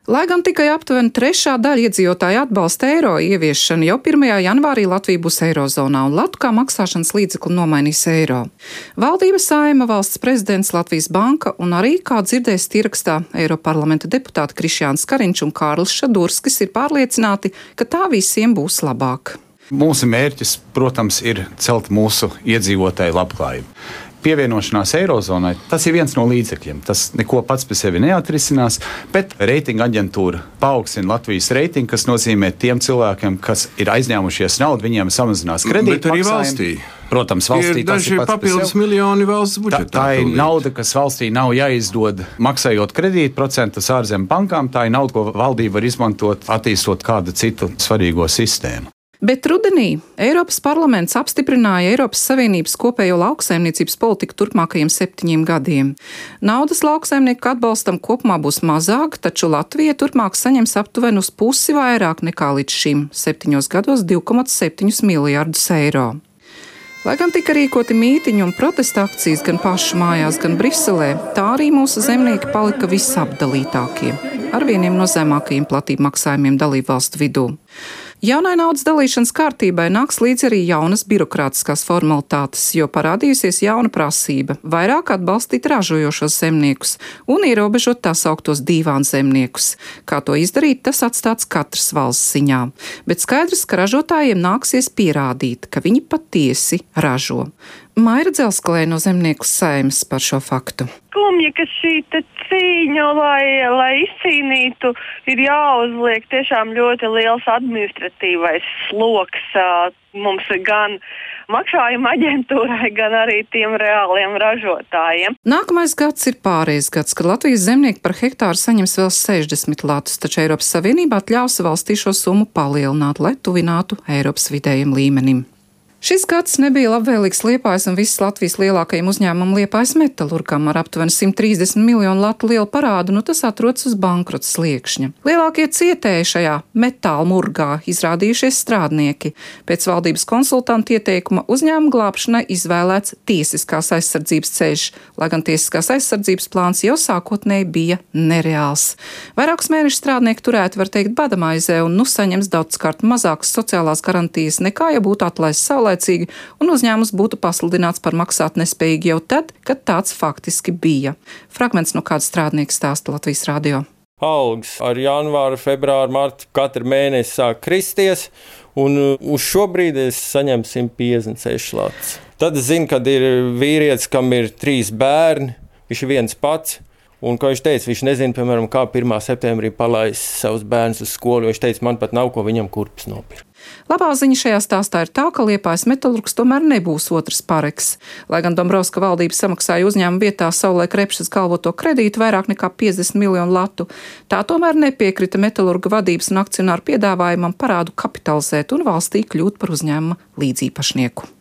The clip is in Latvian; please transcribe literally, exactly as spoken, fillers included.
Lai gan tikai aptuveni trešā daļa iedzīvotāju atbalsta eiro ieviešanu, jau pirmajā janvārī Latvija būs eirozonā un latu kā maksāšanas līdzekli nomainīs eiro. Valdība, Saeima, valsts prezidents, Latvijas banka un arī, kā dzirdēs ierakstā, Eiroparlamenta deputāti Krišjāns Kariņš un Kārlis Šadurskis ir pārliecināti, ka tā visiem būs labāk. Mūsu mērķis, protams, ir celt mūsu iedzīvotāju labklājību. Pievienošanās eirozonai, tas ir viens no līdzekļiem. Tas neko pats par sevi neatrisinās, bet reitinga aģentūra paaugstina Latvijas reitingu, kas nozīmē tiem cilvēkiem, kas ir aizņēmušies naudu, viņiem samazinās kredītu maksājumu. Protams, valstī ir daži papildus miljoni valsts budžetā. Tā, tā ir nauda, kas valstī nav jāizdod maksājot kredītu procentus ārzemju bankām. Tā ir nauda, ko valdība var izmantot, attīstot kādu citu svarīgo sistēmu. Bet rudenī Eiropas parlaments apstiprināja Eiropas Savienības kopējo lauksaimniecības politiku turpmākajiem septiņiem gadiem. Naudas lauksaimnieku atbalstam kopumā būs mazāk, taču Latvija turpmāk saņems aptuveni uz pusi vairāk nekā līdz šim septiņos gados divi komats septiņi miljardus eiro. Lai gan tika rīkoti mītiņi un protesta akcijas gan pašu mājās, gan Briselē, tā arī mūsu zemnieki palika visapdalītākie, ar vieniem no zemākajiem platību maksājumiem dalībvalstu vidū. Jaunai naudas dalīšanas kārtībai nāks līdz arī jaunas birokrātiskās formalitātes, jo parādījusies jauna prasība – vairāk atbalstīt ražojošos zemniekus un ierobežot tā sauktos dīvānu zemniekus. Kā to izdarīt, tas atstāts katras valsts ziņā. Bet skaidrs, ka ražotājiem nāksies pierādīt, ka viņi patiesi ražo. Maira Dzelskalē no Zemnieku Saeimas par šo faktu. Skumji, ka šī cīņa, lai, lai izcīnītu, ir jāuzliek tiešām ļoti liels administratīvais sloks mums gan maksājuma aģentūrai, gan arī tiem reāliem ražotājiem. Nākamais gads ir pārējais gads, kad Latvijas zemnieki par hektāru saņems vēl sešdesmit latus, taču Eiropas Savienība atļaus valstī šo summu palielināt, lai tuvinātu Eiropas vidējiem līmenim. Šis gads nebija labvēlīgs Liepājas un visas Latvijas lielākajiem uzņēmumam Liepājas metalurgam ar aptuveni simt trīsdesmit miljonu latu lielu parādu, nu tas atrodas uz bankrota sliekšņa. Lielākie cietēji šajā metāla murgā izrādījušies strādnieki. Pēc valdības konsultantu ieteikuma uzņēmuma glābšanai izvēlēts tiesiskās aizsardzības ceļš, lai gan tiesiskās aizsardzības plāns jau sākotnēji bija nereāls. Vairākus mēnešus strādnieki turēti, var teikt, badamaizē un nu saņems daudzkārt mazākas sociālās garantijas nekā, ja būtu atlaists saulē un uzņēmums būtu pasludināts par maksāt nespējīgi jau tad, kad tāds faktiski bija. Fragments no kāda strādnieka stāsta Latvijas radio. Algas ar janvāru, februāru, martu katru mēnesi sāk kristies, un uz šo brīdi es saņemu simt piecdesmit seši latus. Tad es zinu, kad ir vīrietis, kam ir trīs bērni, viņš ir viens pats. Un, kā viņš teica, viņš nezina, piemēram, kā pirmā septembrī palaist savus bērnus uz skolu, jo viņš teica, man pat nav ko viņam kurpes nopirkt. Labā ziņa šajā stāstā ir tā, ka Liepājas metalurgs tomēr nebūs otrs Pareks. Lai gan Dombrovska valdība samaksāja uzņēmuma vietā savulaik Repšas galvoto kredītu vairāk nekā piecdesmit miljonu latu, tā tomēr nepiekrita metalurga vadības un akcionāru piedāvājumam parādu kapitalizēt un valstī kļūt par uzņēmuma līdzīpašnieku.